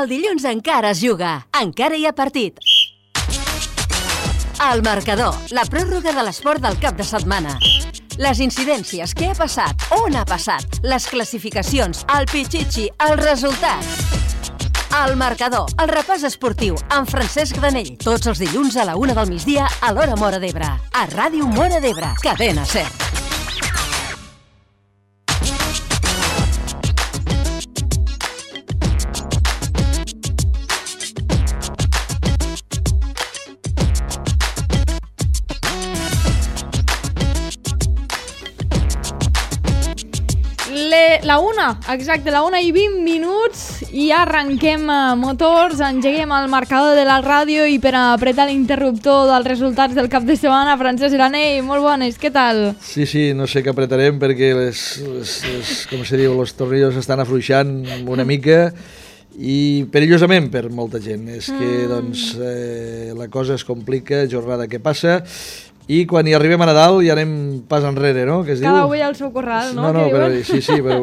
El dilluns encara es juga, encara hi ha partit. El marcador, la pròrroga de l'esport del cap de setmana. Les incidències, què ha passat, on ha passat, les classificacions, el pitxitxi, els resultats. El marcador, el repàs esportiu, amb Francesc Granell. Tots els dilluns a la 1 del migdia a l'hora Móra d'Ebre. A Ràdio Móra d'Ebre, cadena SER. La 1, exacte, la 1 i 20 minuts i arrenquem motors, engeguem el marcador de la ràdio i per apretar l'interruptor dels resultats del cap de setmana, Francesc Granell, molt bones, què tal? Sí, no sé què apretarem perquè com se diu, els tornillos estan afluixant una mica i perillosament per molta gent. És que doncs, la cosa es complica, jornada que passa, i quan hi arribem a Nadal ja anem pas enrere, no? Que es Cada diu? ovella al seu corral, no? No, però, sí, però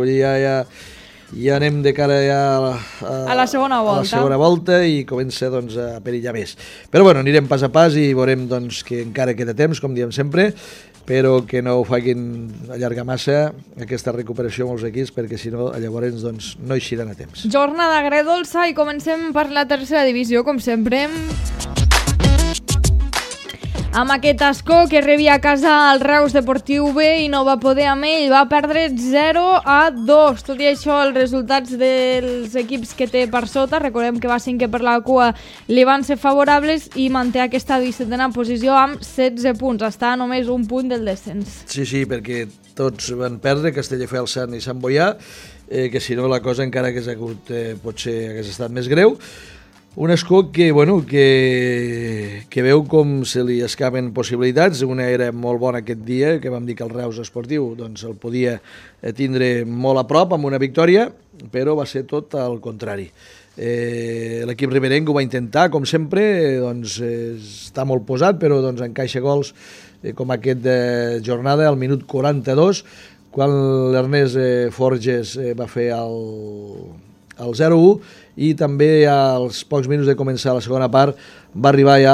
ja anem de cara a la segona volta. A la segona volta i comença doncs, a perillar més. Però bueno, anirem pas a pas i veurem doncs, que encara queda temps, com diem sempre, però que no ho facin allargar massa aquesta recuperació molts equips, perquè si no llavors doncs, no eixiran a temps. Jornada agredolça i comencem per la tercera divisió, com sempre. Amb aquest escó que rebia a casa el Reus Deportiu B i no va poder amb ell, va perdre 0-2. Tot i això, els resultats dels equips que té per sota, recordem que va cinquè per la cua, li van ser favorables i manté aquesta 17a posició amb 16 punts. Està a només un punt del descens. Sí, perquè tots van perdre, Castelldefels, Sant i Sant Boià, que si no la cosa encara hagués hagut, potser hagués estat més greu. Un escó que veu com se li escapen possibilitats. Una era molt bona aquest dia, que vam dir que el Reus Esportiu doncs, el podia tindre molt a prop amb una victòria, però va ser tot al contrari. L'equip riberenc ho va intentar, com sempre, doncs, està molt posat, però doncs, encaixa gols com aquest de jornada, al minut 42, quan l'Ernest Forges va fer el 0-1, i també als pocs minuts de començar la segona part va arribar ja,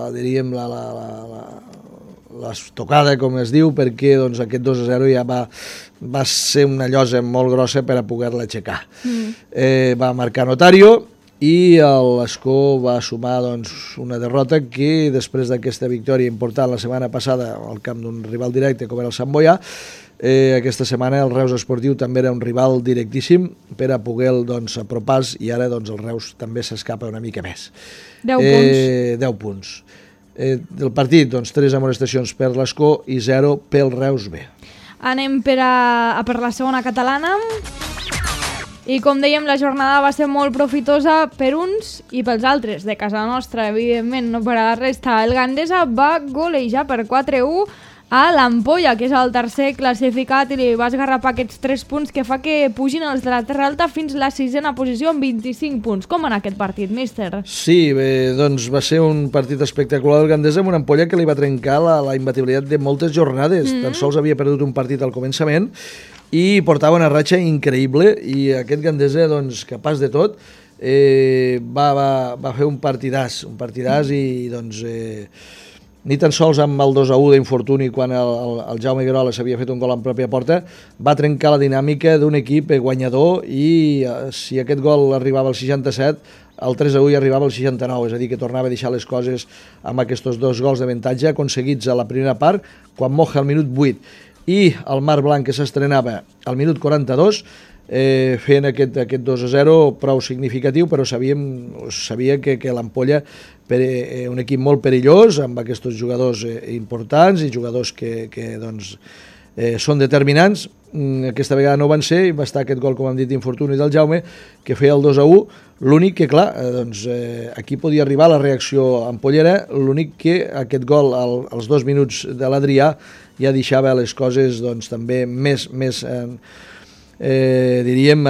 diríem, l'estocada, com es diu, perquè doncs, aquest 2-0 ja va ser una llosa molt grossa per a poder-la aixecar. Va marcar Notario i l'Escó va sumar doncs, una derrota que després d'aquesta victòria important la setmana passada al camp d'un rival directe com era el Sant Boià, aquesta setmana el Reus Esportiu també era un rival directíssim per a poder doncs, apropar-se, i ara doncs, el Reus també s'escapa una mica més. 10 punts. Del partit, doncs, 3 amonestacions per l'Escó i 0 pel Reus B. Anem per la segona catalana. I com dèiem, la jornada va ser molt profitosa per uns i pels altres. De casa nostra, evidentment, no per a la resta. El Gandesa va golejar per 4-1 a l'Ampolla, que és el tercer classificat, i li va esgarrapar aquests 3 punts que fa que pugin els de la Terra Alta fins la 6a posició amb 25 punts. Com va anar aquest partit, míster? Sí, doncs va ser un partit espectacular del Gandesa amb una Ampolla que li va trencar la imbatibilitat de moltes jornades. Tan sols havia perdut un partit al començament i portava una ratxa increïble, i aquest Gandesa, doncs, capaç de tot, va fer un partidàs i doncs... ni tan sols amb el 2-1 d'infortuni quan el Jaume Guerola s'havia fet un gol en pròpia porta, va trencar la dinàmica d'un equip guanyador, i si aquest gol arribava al 67, el 3-1 arribava al 69, és a dir, que tornava a deixar les coses amb aquests 2 gols d'avantatge aconseguits a la primera part, quan Moja al minut 8 i el Mar Blanc, que s'estrenava al minut 42, fent aquest 2-0 prou significatiu, però sabia que l'Ampolla, un equip molt perillós, amb aquests jugadors importants i jugadors que doncs, són determinants, aquesta vegada no van ser, i va estar aquest gol, com hem dit, d'infortuni del Jaume, que feia el 2-1, l'únic que, clar, doncs, aquí podia arribar la reacció ampollera, l'únic que aquest gol als 2 minuts de l'Adrià ja deixava les coses doncs, també més diríem,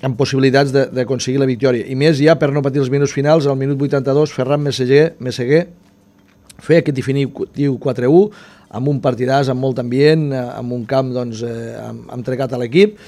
amb possibilitats d'aconseguir la victòria. I més ja per no patir els minuts finals, al minut 82, Ferran Messeguer feia aquest definitiu 4-1, amb un partidàs, amb molt ambient, amb un camp doncs, entregat a l'equip.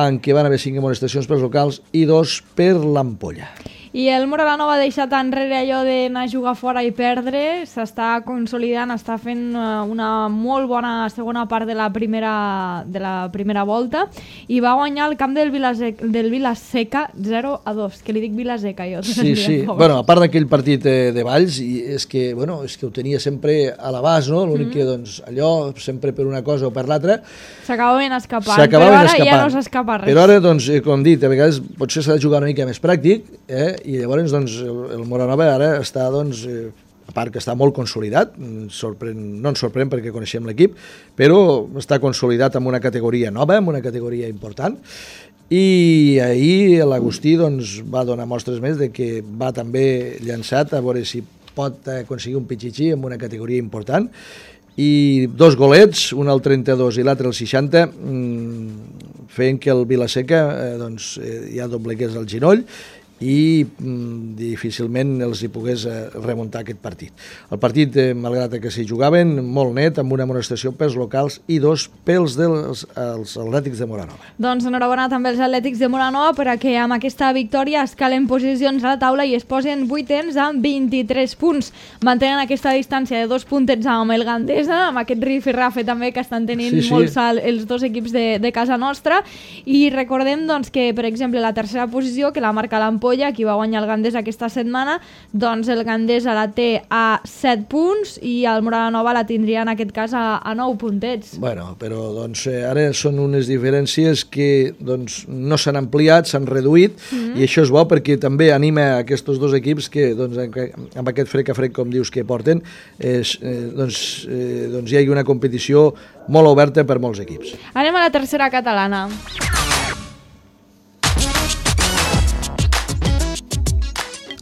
en què van haver 5 amonestacions pels locals i 2 per l'Ampolla. I el Moralanova ha deixat enrere allò d'anar a jugar fora i perdre, s'està consolidant, està fent una molt bona segona part de la primera volta i va guanyar el camp del Vilaseca 0-2, que li dic Vilaseca jo. Sí. Bueno, a part d'aquell partit de Valls, i és que ho tenia sempre a l'abast, no? L'únic que doncs, allò, sempre per una cosa o per l'altra, s'acabaven escapant, però ara ja no s'escapa res. Però ara, doncs, com dit, a vegades potser s'ha de jugar una mica més pràctic, i llavors doncs, el Moranova ara està, doncs, a part que està molt consolidat, no ens sorprèn perquè coneixem l'equip, però està consolidat amb una categoria nova, amb una categoria important, i ahir l'Agustí doncs, va donar mostres més de que va també llançat a veure si pot aconseguir un pitxitxí en una categoria important, i 2 golets, un al 32 i l'altre al 60, feien que el Vilaseca doncs, ja doblegués el ginoll i difícilment els hi pogués remuntar aquest partit. El partit, malgrat que s'hi jugaven, molt net, amb una amonestació pels locals i 2 pels dels Atlètics de Moranova. Doncs enhorabona també als Atlètics de Moranova perquè amb aquesta victòria escalen posicions a la taula i es posen 8ens amb 23 punts. Mantenen aquesta distància de 2 puntets amb el Gandesa, amb aquest rifirrafe també que estan tenint molt salt els dos equips de casa nostra, i recordem doncs, que, per exemple, la tercera posició, que la marca l'Ampolla, qui va guanyar el Gandesa aquesta setmana, doncs el Gandesa la té a 7 punts i el Moralanova la tindria en aquest cas a 9 puntets. Bueno, però doncs, ara són unes diferències que doncs, no s'han ampliat, s'han reduït, i això és bo perquè també anima aquests dos equips que doncs, amb aquest frec a frec, com dius, que porten, doncs hi hagi una competició molt oberta per molts equips. Anem a la tercera catalana.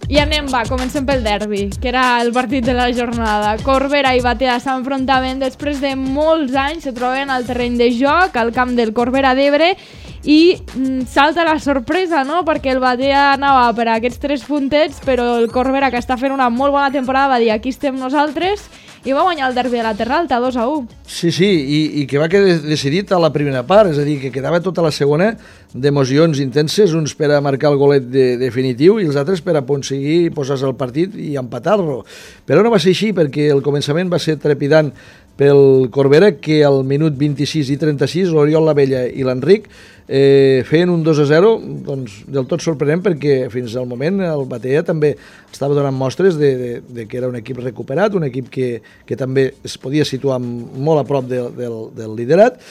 I anem, comencem pel derbi, que era el partit de la jornada. Corbera i Batea s'enfrontaven després de molts anys, se troben al terreny de joc, al camp del Corbera d'Ebre, i salta la sorpresa, no?, perquè el Batea anava per aquests 3 puntets, però el Corbera, que està fent una molt bona temporada, va dir aquí estem nosaltres, i va guanyar el derbi de la Terra Alta 2-1. Sí, i que va quedar decidit a la primera part, és a dir, que quedava tota la segona d'emocions intenses, uns per a marcar el golet definitiu i els altres per a aconseguir posar-se al partit i empatar-lo. Però no va ser així, perquè el començament va ser trepidant pel Corbera, que al minut 26 i 36 l'Oriol Lavella i l'Enric feien un 2-0 doncs, del tot sorprenent, perquè fins al moment el Batea també estava donant mostres de que era un equip recuperat, un equip que també es podia situar molt a prop del liderat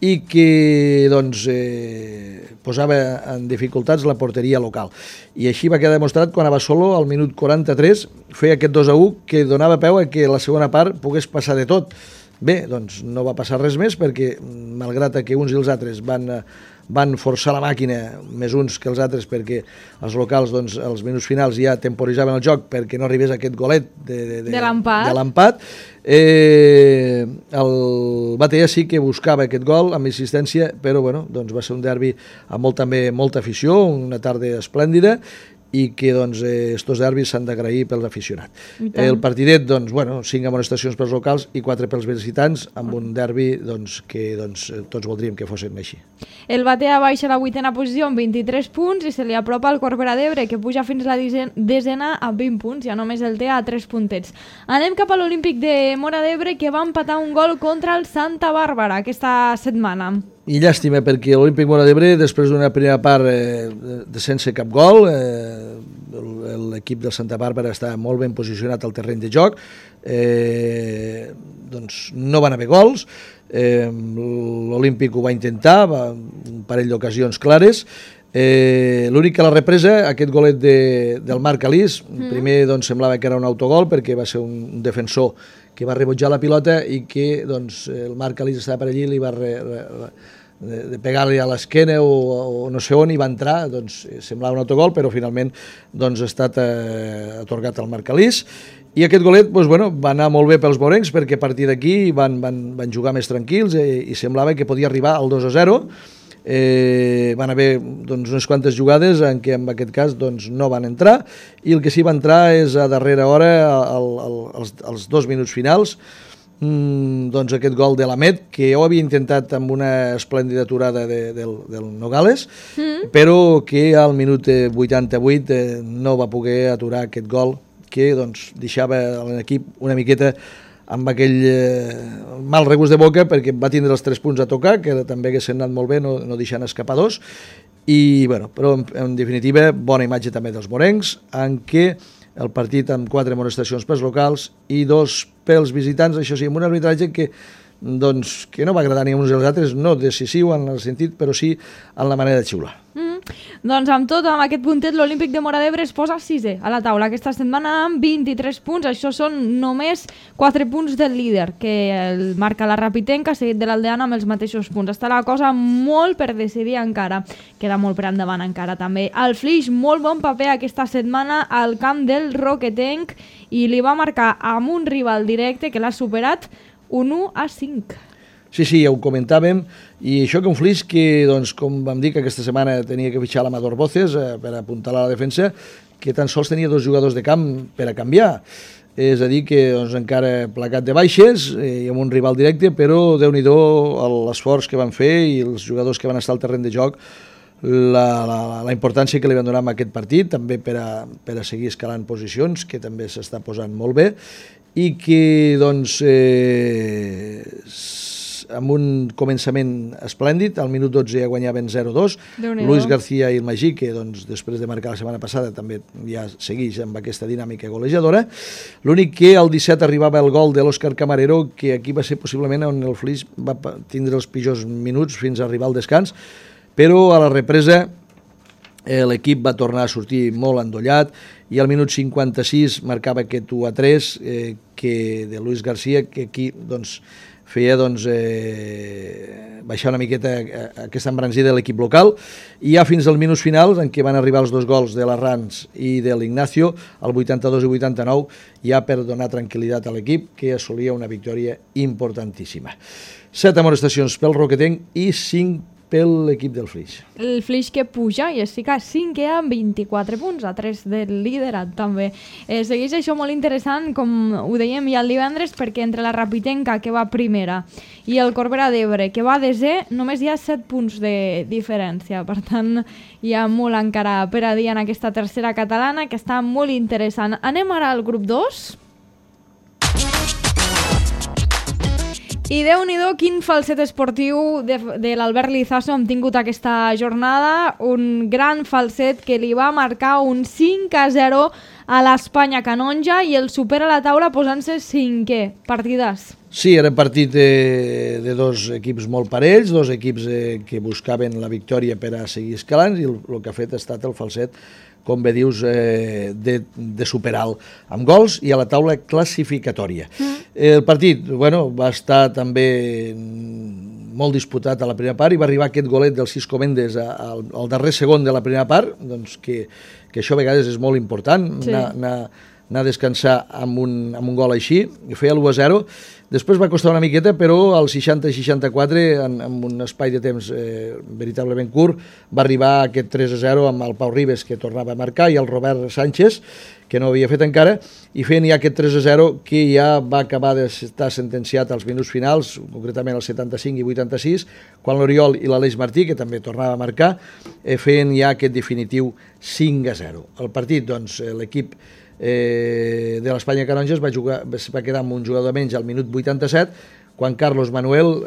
i que doncs, posava en dificultats la porteria local. I així va quedar demostrat quan a Basolo, al minut 43, feia aquest 2-1 que donava peu a que la segona part pogués passar de tot. Bé, doncs no va passar res més perquè, malgrat que uns i els altres van forçar la màquina, més uns que els altres, perquè els locals, doncs, als minuts finals ja temporitzaven el joc perquè no arribés aquest golet de l'empat. El Batea sí que buscava aquest gol amb insistència, però bueno, doncs va ser un derbi amb molta afició, una tarda esplèndida, i que doncs, estos derbis s'han d'agrair pels aficionats. El partidet, doncs, 5 amonestacions pels locals i 4 pels visitants, amb un derbi doncs, que tots voldríem que fossin així. El Batea baixa a la 8a posició amb 23 punts i se li apropa el Corbera d'Ebre, que puja fins a la 10a amb 20 punts, ja només el té a 3 puntets. Anem cap a l'Olímpic de Móra d'Ebre, que va empatar un gol contra el Santa Bàrbara aquesta setmana. I llàstima, perquè l'Olímpic Móra d'Ebre, després d'una primera part sense cap gol, l'equip del Santa Bàrbara està molt ben posicionat al terreny de joc, doncs no van haver gols, l'Olímpic ho va intentar, un parell d'ocasions clares, l'únic que a la represa, aquest golet del Marc Alís, primer doncs, semblava que era un autogol perquè va ser un defensor que va rebutjar la pilota i que doncs, el Marc Alís estava per allí i li va de pegar-li a l'esquena o no sé on, i va entrar, doncs semblava un autogol, però finalment doncs, ha estat atorgat al Marc Alís. I aquest golet doncs, va anar molt bé pels morencs, perquè a partir d'aquí van jugar més tranquils i semblava que podia arribar al 2-0. Van haver doncs, unes quantes jugades en què en aquest cas doncs, no van entrar, i el que sí va entrar és a darrera hora, als 2 minuts finals, doncs aquest gol de l'Amet, que ho havia intentat amb una esplèndida aturada del Nogales, però que al minut 88 no va poder aturar aquest gol, que doncs, deixava l'equip una miqueta amb aquell mal regust de boca, perquè va tindre els 3 punts a tocar, que també haguessin anat molt bé, no deixant escapar 2, i, bueno, però en definitiva, bona imatge també dels morencs, en què el partit amb 4 amonestacions pels locals i 2 pels visitants, això sí, amb un arbitratge que no va agradar ni a uns ni als altres, no decisiu en el sentit, però sí en la manera de xiular. Doncs amb tot, amb aquest puntet, l'Olímpic de Móra d'Ebre es posa 6è a la taula aquesta setmana amb 23 punts. Això són només 4 punts del líder, que el marca la Rapitenca, seguit de l'Aldeana amb els mateixos punts. Està la cosa molt per decidir encara. Queda molt per endavant encara també. El Flix, molt bon paper aquesta setmana al camp del Roquetenc i li va marcar amb un rival directe que l'ha superat un 1-5. Sí, ja ho comentàvem, i això que un Flix que, doncs, com vam dir, que aquesta setmana tenia que fitxar l'Amador Voces per apuntalar la defensa, que tan sols tenia 2 jugadors de camp per a canviar. És a dir, que doncs, encara placat de baixes i amb un rival directe, però Déu-n'hi-do l'esforç que van fer i els jugadors que van estar al terreny de joc, la importància que li van donar a aquest partit, també per a seguir escalant posicions, que també s'està posant molt bé, i que, doncs, amb un començament esplèndid, al minut 12 ja guanyaven 0-2, Luis García i el Magí, que doncs, després de marcar la setmana passada també ja segueix amb aquesta dinàmica golejadora. L'únic que al 17 arribava el gol de l'Òscar Camarero, que aquí va ser possiblement on el Flix va tindre els pitjors minuts fins a arribar al descans, però a la represa l'equip va tornar a sortir molt endollat i al minut 56 marcava aquest 1-3 de Luis García, que aquí doncs, feia baixar una miqueta aquesta embranzida de l'equip local, i ja fins als minuts finals, en què van arribar els 2 gols de l'Arranz i de l'Ignacio, el 82 i 89, ja per donar tranquil·litat a l'equip, que assolia una victòria importantíssima. 7 amonestacions pel Roquetenc i 5 pel l'equip del Flix. El Flix que puja i es fica 5è amb 24 punts, a 3 del liderat també. Segueix això molt interessant, com ho dèiem ja el divendres, perquè entre la Rapitenca, que va primera, i el Corbera d'Ebre, que va desè, només hi ha 7 punts de diferència. Per tant, hi ha molt encara per a dir en aquesta tercera catalana, que està molt interessant. Anem ara al grup 2. I Déu-n'hi-do, quin falset esportiu de l'Albert Lizaso hem tingut aquesta jornada. Un gran falset que li va marcar un 5-0 a l'Espanya Canonja i el supera a la taula posant-se 5è. Partidàs. Sí, era partit de 2 equips molt parells, 2 equips que buscaven la victòria per a seguir escalant, i el que ha fet ha estat el falset, com bé dius, de superar amb gols i a la taula classificatòria. El partit, va estar també molt disputat a la primera part i va arribar aquest golet del Cisco Méndez al darrer segon de la primera part, doncs que això a vegades és molt important, anar a descansar amb un gol així, i feia l'1-0. Després va costar una miqueta, però al 60-64, amb un espai de temps veritablement curt, va arribar aquest 3-0 amb el Pau Ribes, que tornava a marcar, i el Robert Sánchez, que no havia fet encara, i feien ja aquest 3-0 que ja va acabar d'estar sentenciat als minuts finals, concretament als 75 i 86, quan l'Oriol i l'Aleix Martí, que també tornava a marcar, feien ja aquest definitiu 5-0. El partit, doncs, l'equip de l'Espanya Canonja va quedar amb un jugador menys al minut 87, quan Carlos Manuel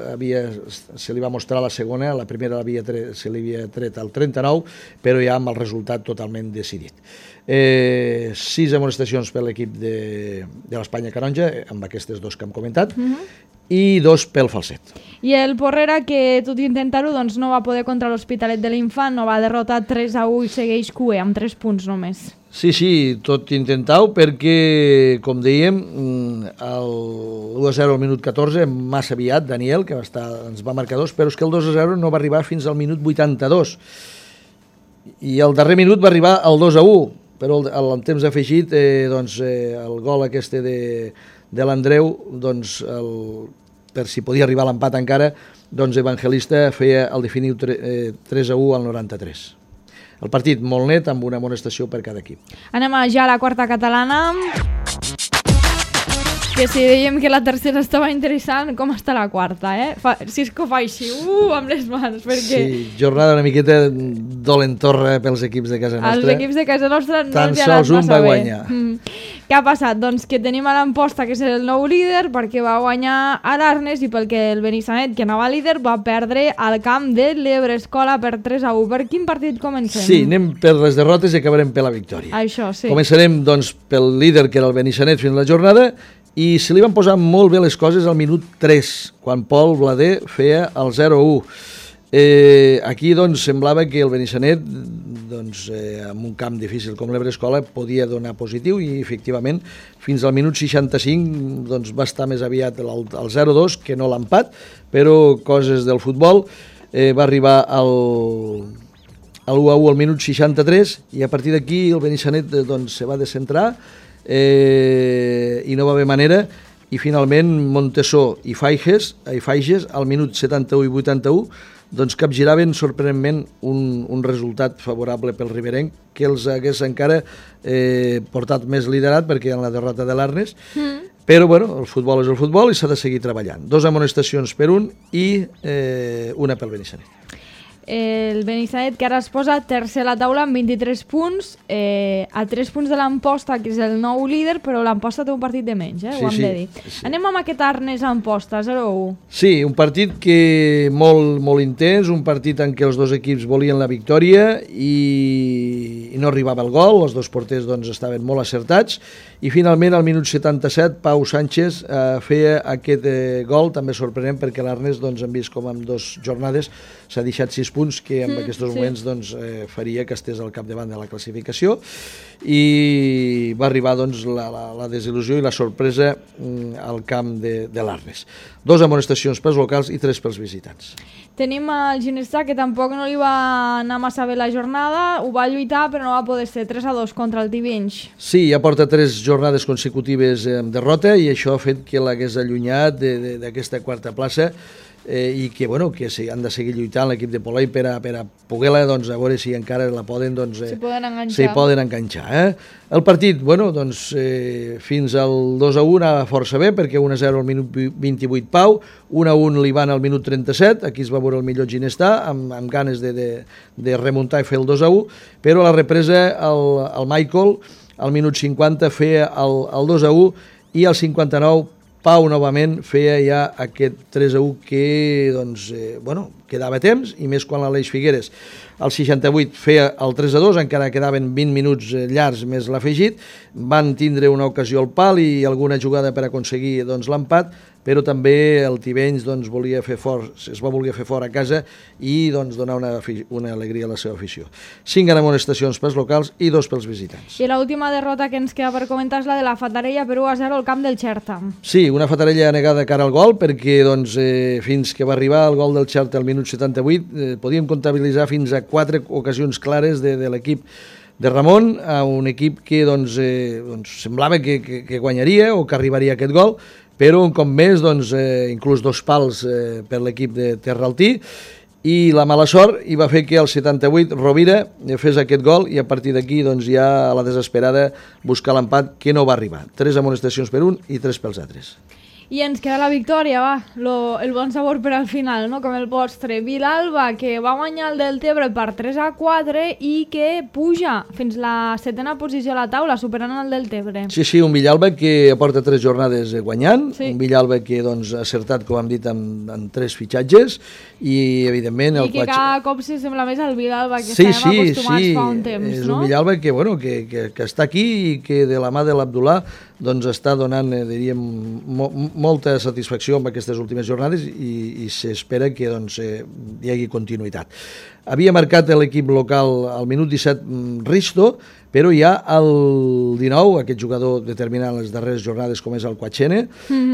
se li va mostrar la segona, la primera se li havia tret al 39, però ja amb el resultat totalment decidit. 6 amonestacions per l'equip de l'Espanya Canonja, amb aquestes 2 que hem comentat, i 2 pel falset. I el Porrera, que tot i intentar-ho, doncs no va poder contra l'Hospitalet de l'Infant, no va derrotar 3-1 i segueix cué amb 3 punts només. Sí, tot intentar-ho, perquè, com dèiem, el 1-0 al minut 14, massa aviat, Daniel, que ens va marcar 2, però és que el 2-0 no va arribar fins al minut 82. I al darrer minut va arribar el 2-1, però en temps afegit, el gol aquest de l'Andreu, per si podia arribar a l'empat encara, Evangelista feia el definitiu 3-1 al 93. El partit molt net, amb una amonestació per cada equip. Anem ja a la quarta catalana, Que si dèiem que la tercera estava interessant, com està la quarta, Si és que ho fa així, amb les mans, perquè... Sí, jornada una miqueta dolentorra pels equips de casa nostra. Els equips de casa nostra no Tan els ha anat sols un massa va bé. guanyar. Què ha passat? Doncs que tenim a l'Amposta, que és el nou líder, perquè va guanyar a l'Arnes i perquè el Benissanet, que anava líder, va perdre al camp de l'Ebre Escola per 3-1. Per quin partit comencem? Sí, anem per les derrotes i acabarem per la victòria. Això, sí. Començarem, doncs, pel líder, que era el Benissanet, fins a la jornada, i se li van posar molt bé les coses al minut 3, quan Pol Blader feia el 0-1. Aquí, doncs, semblava que el Benissanet, doncs, en un camp difícil com l'Ebre Escola, podia donar positiu i, efectivament, fins al minut 65 doncs, va estar més aviat el 0-2 que no l'empat, però coses del futbol. Va arribar al 1-1 al minut 63 i a partir d'aquí el Benissanet doncs, se va descentrar i no va haver manera, i finalment Montesó i Faiges al minut 71 i 81 doncs capgiraven sorprenentment un resultat favorable pel riberenc, que els hagués encara portat més liderat, perquè en la derrota de l'Arnes, però bueno, el futbol és el futbol i s'ha de seguir treballant. 2 amonestacions per un i una pel Benissanet. El Benissanet, que ara es posa tercer a la taula amb 23 punts, a 3 punts de l'Amposta, que és el nou líder, però l'Amposta té un partit de menys, ho hem de dir. Sí. Anem amb aquest Arnes-Amposta, 0-1. Sí, un partit que molt intens, un partit en què els dos equips volien la victòria i no arribava el gol, els dos porters doncs, estaven molt acertats, i finalment al minut 77 Pau Sánchez feia aquest gol, també sorprenent, perquè l'Arnes doncs, hem vist com en 2 jornades s'ha deixat 6 punts que en aquests moments doncs, faria que estés al capdavant de la classificació, i va arribar doncs, la desil·lusió i la sorpresa al camp de l'Arnes. 2 amonestacions pels locals i 3 pels visitants. Tenim el Ginestar, que tampoc no li va anar massa bé la jornada, ho va lluitar però no va poder ser, 3-2 contra el Tivenys. Sí, ja porta 3 jornades consecutives amb derrota i això ha fet que l'hagués allunyat d'aquesta quarta plaça, i que, bueno, que han de seguir lluitant l'equip de Polai per a poder-la, doncs, a veure si encara la poden, doncs, s'hi poden enganxar. El partit, bueno, doncs, fins al 2-1 anava força bé, perquè 1-0 al minut 28 Pau, 1-1 li van al minut 37, aquí es va veure el millor Ginestar, amb ganes de remuntar i fer el 2-1, però a la represa el Michael, al minut 50, feia el 2-1, i al 59 Pau novament feia ja aquest 3-1 que doncs, quedava temps, i més quan l'Aleix Figueres al 68 feia el 3-2, encara quedaven 20 minuts llargs més l'afegit, van tindre una ocasió al pal i alguna jugada per aconseguir doncs, l'empat, però també el Tivenys doncs, es va voler fer fort a casa i doncs, donar una alegria a la seva afició. 5 amonestacions pels locals i 2 pels visitants. I l'última derrota que ens queda per comentar és la de la Fatarella per 1-0 al camp del Xerta. Sí, una Fatarella negada cara al gol, perquè doncs, fins que va arribar el gol del Xerta al minut 78 podíem comptabilitzar fins a 4 ocasions clares de l'equip de Ramon, a un equip que doncs, semblava que guanyaria o que arribaria a aquest gol, però un cop més, doncs, inclús 2 pals per l'equip de Terraltí, i la mala sort hi va fer que al 78 Rovira fes aquest gol i a partir d'aquí doncs, ja a la desesperada buscar l'empat, que no va arribar. 3 amonestacions per un i 3 pels altres. I ens queda la victòria, el bon sabor per al final, no? Com el postre. Vilalba, que va guanyar el Deltebre per 3-4 i que puja fins la 7ª posició a la taula, superant el Deltebre. Sí, un Vilalba que aporta 3 jornades guanyant, un Vilalba que doncs, ha acertat, com hem dit, en 3 fitxatges, i evidentment... I que cada cop se sembla més al Vilalba que estàvem acostumats fa un temps, no? És un Vilalba que està aquí i que de la mà de l'Abdullah doncs està donant, diríem, molta satisfacció amb aquestes últimes jornades i s'espera que doncs, hi hagi continuïtat. Havia marcat l'equip local al minut 17 Risto, però ja al 19, aquest jugador determinant les darreres jornades com és el Quachene,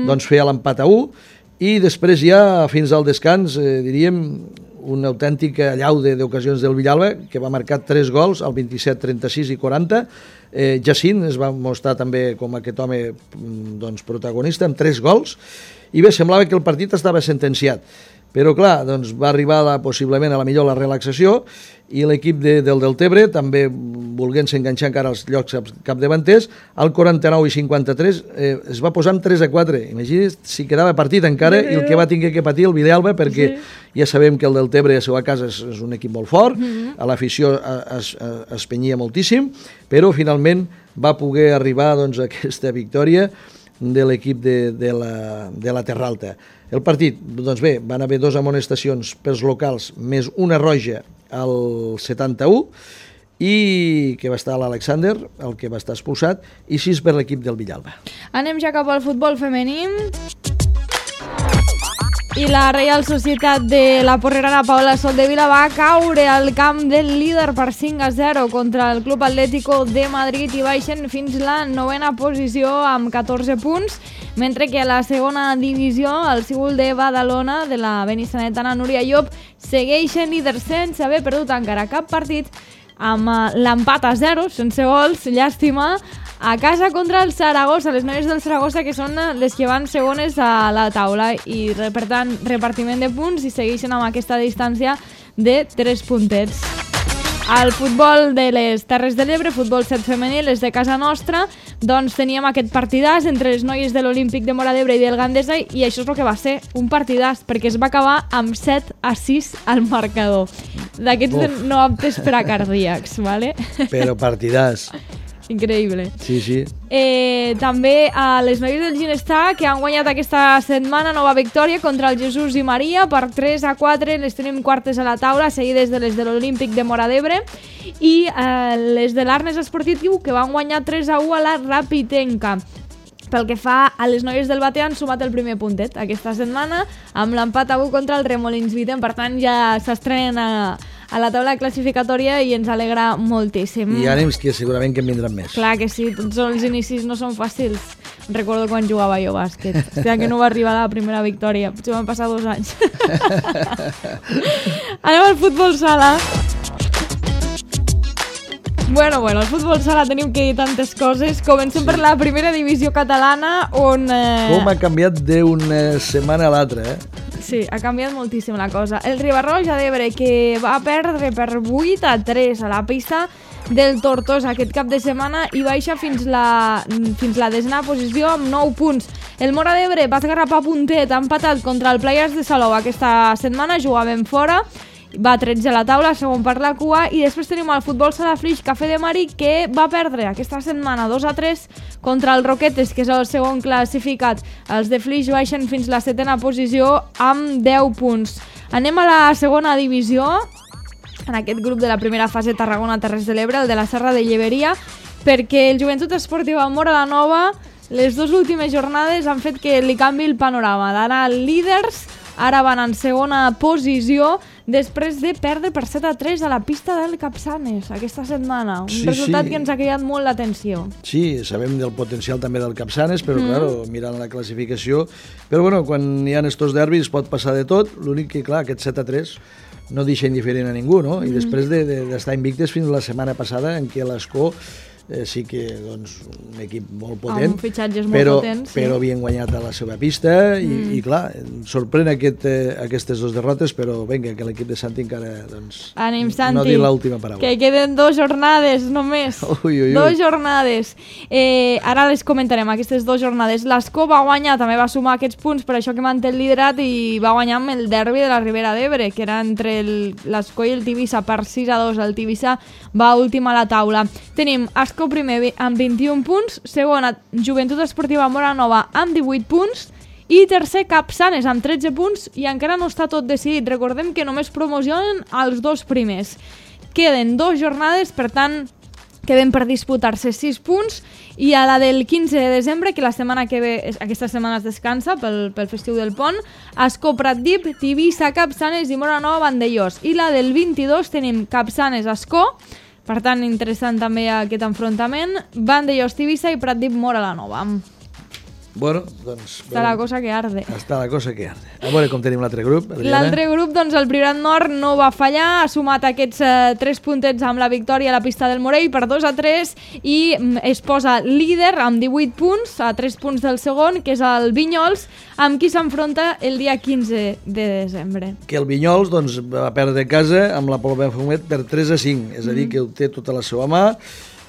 doncs feia l'empat a 1 i després ja fins al descans, diríem, una autèntica allau d'ocasions del Villalba, que va marcar 3 gols, al 27, 36 i 40. Jacint es va mostrar també com aquest home doncs, protagonista, amb 3 gols, i bé, semblava que el partit estava sentenciat. Però clar, doncs va arribar possiblement a la millor la relaxació i l'equip del Deltebre, també volguent-se enganxar encara als llocs capdavanters, al 49 i 53 es va posar amb 3-4. Imagina't si quedava partit encara i el que va tenir que patir el Villalba, perquè ja sabem que el Deltebre a la seva casa és un equip molt fort, a l'afició es penyia moltíssim, però finalment va poder arribar doncs, a aquesta victòria de l'equip de la Terra Alta. El partit, doncs bé, van haver 2 amonestacions pels locals, més una roja al 71, i que va estar l'Alexander, el que va estar expulsat, i 6 per l'equip del Villalba. Anem ja cap al futbol femení. I la Reial Societat de la Porrerana Paula Soldevila va caure al camp del líder per 5-0 contra el Club Atlético de Madrid i baixen fins la 9ª posició amb 14 punts, mentre que a la segona divisió el Cíbul de Badalona de la benissanetana Núria Llop segueixen líders sense haver perdut encara cap partit, amb l'empat a 0, sense gols, llàstima, a casa contra el Saragossa, les noies del Saragossa, que són les que van segones a la taula, i per tant repartiment de punts i segueixen amb aquesta distància de 3 puntets. Al futbol de les Terres de l'Ebre, futbol 7 femení, les de casa nostra, doncs teníem aquest partidàs entre les noies de l'Olímpic de Móra d'Ebre i del Gandesa, i això és el que va ser un partidàs, perquè es va acabar amb 7-6 al marcador. D'aquests no aptes per a cardíacs, ¿vale? Però partidàs. Increïble. Sí, sí. També a les noies del Ginestar, que han guanyat aquesta setmana nova victòria contra el Jesús i Maria per 3-4, les tenim quartes a la taula, seguides de les de l'Olímpic de Móra d'Ebre, i les de l'Arnes Esportiu, que van guanyar 3-1 a la Rapitenca. Pel que fa a les noies del Batea, han sumat el primer puntet aquesta setmana amb l'empat a 1 contra el Remolins Viten, per tant ja s'estrenen a la taula classificatòria i ens alegra moltíssim. I ànims que segurament que en vindran més. Clar que sí, tots els inicis no són fàcils. Recordo quan jugava jo a bàsquet. Hòstia, que no va arribar a la primera victòria. Potser van passar 2 anys. Anem al futbol sala. Bueno, al futbol sala tenim que dir tantes coses. Comencem per la primera divisió catalana, on... Com ha canviat d'una setmana a l'altra, Sí, ha canviat moltíssim la cosa. El Ribarroja d'Ebre, que va perdre per 8-3 a la pista del Tortosa aquest cap de setmana i baixa fins la 10ª posició amb 9 punts. El Móra d'Ebre va esgarrapar puntet, ha empatat contra el Players de Salou aquesta setmana, jugaven fora, va 13 a la taula, segon per la cua, i després tenim el futbol sala Flix Cafè de Mari, que va perdre aquesta setmana 2-3 contra el Roquetes, que és el segon classificat. Els de Flix baixen fins la 7ª posició amb 10 punts. Anem a la segona divisió, en aquest grup de la primera fase Tarragona Terres de l'Ebre, el de la Serra de Lleberia, perquè el Joventut Esportiva Móra la Nova, les 2 últimes jornades han fet que li canvi el panorama. D'anar líders, ara van en segona posició, després de perdre per 7-3 a la pista del Capçanes aquesta setmana. Un resultat que ens ha cridat molt l'atenció. Sí, sabem del potencial també del Capçanes, però claro, mirant la classificació... Però bueno, quan hi ha estos derbis pot passar de tot, l'únic que, clar, aquest 7-3 no deixa indiferent a ningú, no? I després d'estar invictes fins la setmana passada, en què l'Escó sí que, doncs, un equip molt potent, amb fitxatges molt potents, però havien guanyat a la seva pista i clar, sorprèn aquestes 2 derrotes, però vinga, que l'equip de Santi encara, doncs, ànim, Santi, no dir l'última paraula. Que queden 2 jornades només. 2 jornades. Ara les comentarem, aquestes 2 jornades. L'Escó va guanyar, també va sumar aquests punts, per això que manté el liderat, i va guanyar amb el derbi de la Ribera d'Ebre, que era entre l'Escó i el Tivissa per 6-2. El Tivissa va últim a la taula. Tenim Escó primer amb 21 punts, segona Joventut Esportiva Móra Nova amb 18 punts i tercer Capçanes amb 13 punts, i encara no està tot decidit. Recordem que només promocionen els 2 primers. Queden 2 jornades, per tant queden per disputar-se 6 punts, i a la del 15 de desembre, que la setmana que ve, aquesta setmana es descansa pel festiu del Pont, Escó Pratdip, Tivissa, Capçanes i Móra Nova Vandellós, i la del 22 tenim Capçanes Escó. Per tant, interessant també aquest enfrontament. Vandellós Tivissa i Pratdip Móra la Nova. Bueno, doncs... Està la cosa que arde. Està la cosa que arde. A veure com tenim l'altre grup, Adriana. L'altre grup, doncs, el Priorat Nord no va fallar, ha sumat aquests 3 puntets amb la victòria a la pista del Morell per 2-3 i es posa líder amb 18 punts, a 3 punts del segon, que és el Vinyols, amb qui s'enfronta el dia 15 de desembre. Que el Vinyols doncs, va perdre casa amb la Pol Benfumet per 3-5, és a dir, que ho té tota la seva mà,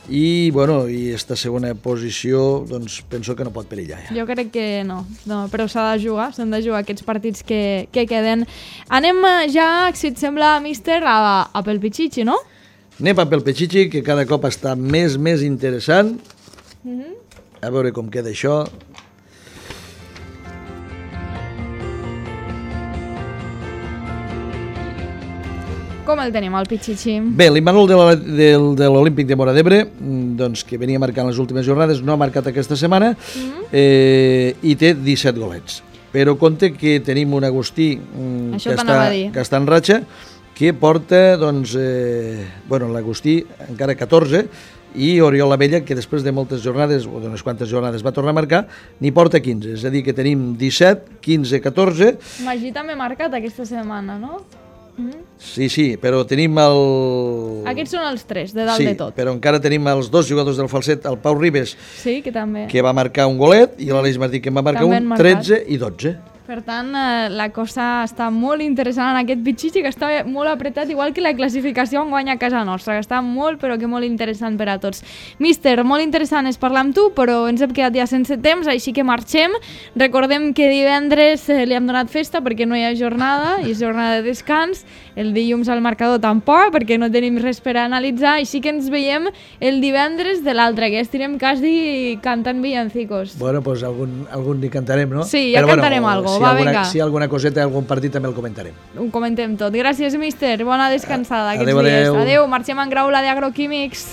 i bueno, i esta segona posició doncs penso que no pot perillar ja. Jo crec que no però s'han de jugar aquests partits que queden. Anem ja, si et sembla, míster, a pel Pichichi, no? Anem a pel Pichichi, que cada cop està més interessant. A veure com queda això. Com el tenim, el Pichichi? Bé, l'Immanol de l'Olímpic de Móra d'Ebre, doncs, que venia marcant les últimes jornades, no ha marcat aquesta setmana i té 17 golets. Però compte que tenim un Agustí que està en ratxa, que porta, doncs, l'Agustí encara 14, i Oriol Abella, que després de moltes jornades, o d'unes quantes jornades, va tornar a marcar, n'hi porta 15. És a dir, que tenim 17, 15, 14... Magí també ha marcat aquesta setmana, no? Sí, però tenim el... Aquests són els 3, de dalt de tot. Sí, però encara tenim els 2 jugadors del Falset, el Pau Ribes, que també va marcar un golet, i l'Aleix Martí, que en va marcar un 13 i 12. Per tant, la cosa està molt interessant en aquest Pichichi, que està molt apretat, igual que la classificació en guanya a casa nostra, que està molt, però que molt interessant per a tots. Míster, molt interessant és parlar amb tu, però ens hem quedat ja sense temps, així que marxem. Recordem que divendres li hem donat festa perquè no hi ha jornada, i és jornada de descans. El dilluns al marcador tampoc, perquè no tenim res per analitzar, així que ens veiem el divendres de l'altre, que estirem quasi cantant villancicos. Bueno, doncs algun ni cantarem, no? Sí, ja cantarem algo. Si hi ha alguna coseta, algun partit també el comentarem. Ho comentem tot. Gràcies, míster. Bona descansada aquests dies. Adéu. Marxem en Graula d'Agroquímics.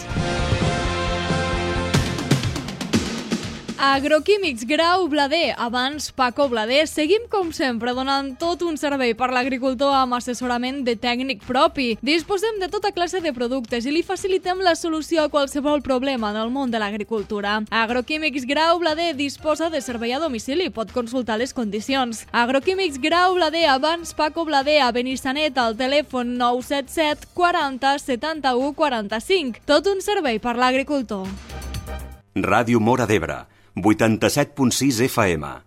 Agroquímics Grau Blader, abans Paco Blader. Seguim, com sempre, donant tot un servei per l'agricultor amb assessorament de tècnic propi. Disposem de tota classe de productes i li facilitem la solució a qualsevol problema en el món de l'agricultura. Agroquímics Grau Blader disposa de servei a domicili. Pot consultar les condicions. Agroquímics Grau Blader, abans Paco Blader, a Benissanet, al telèfon 977 40 71 45. Tot un servei per l'agricultor. Ràdio Móra d'Ebre, 87.6 FM.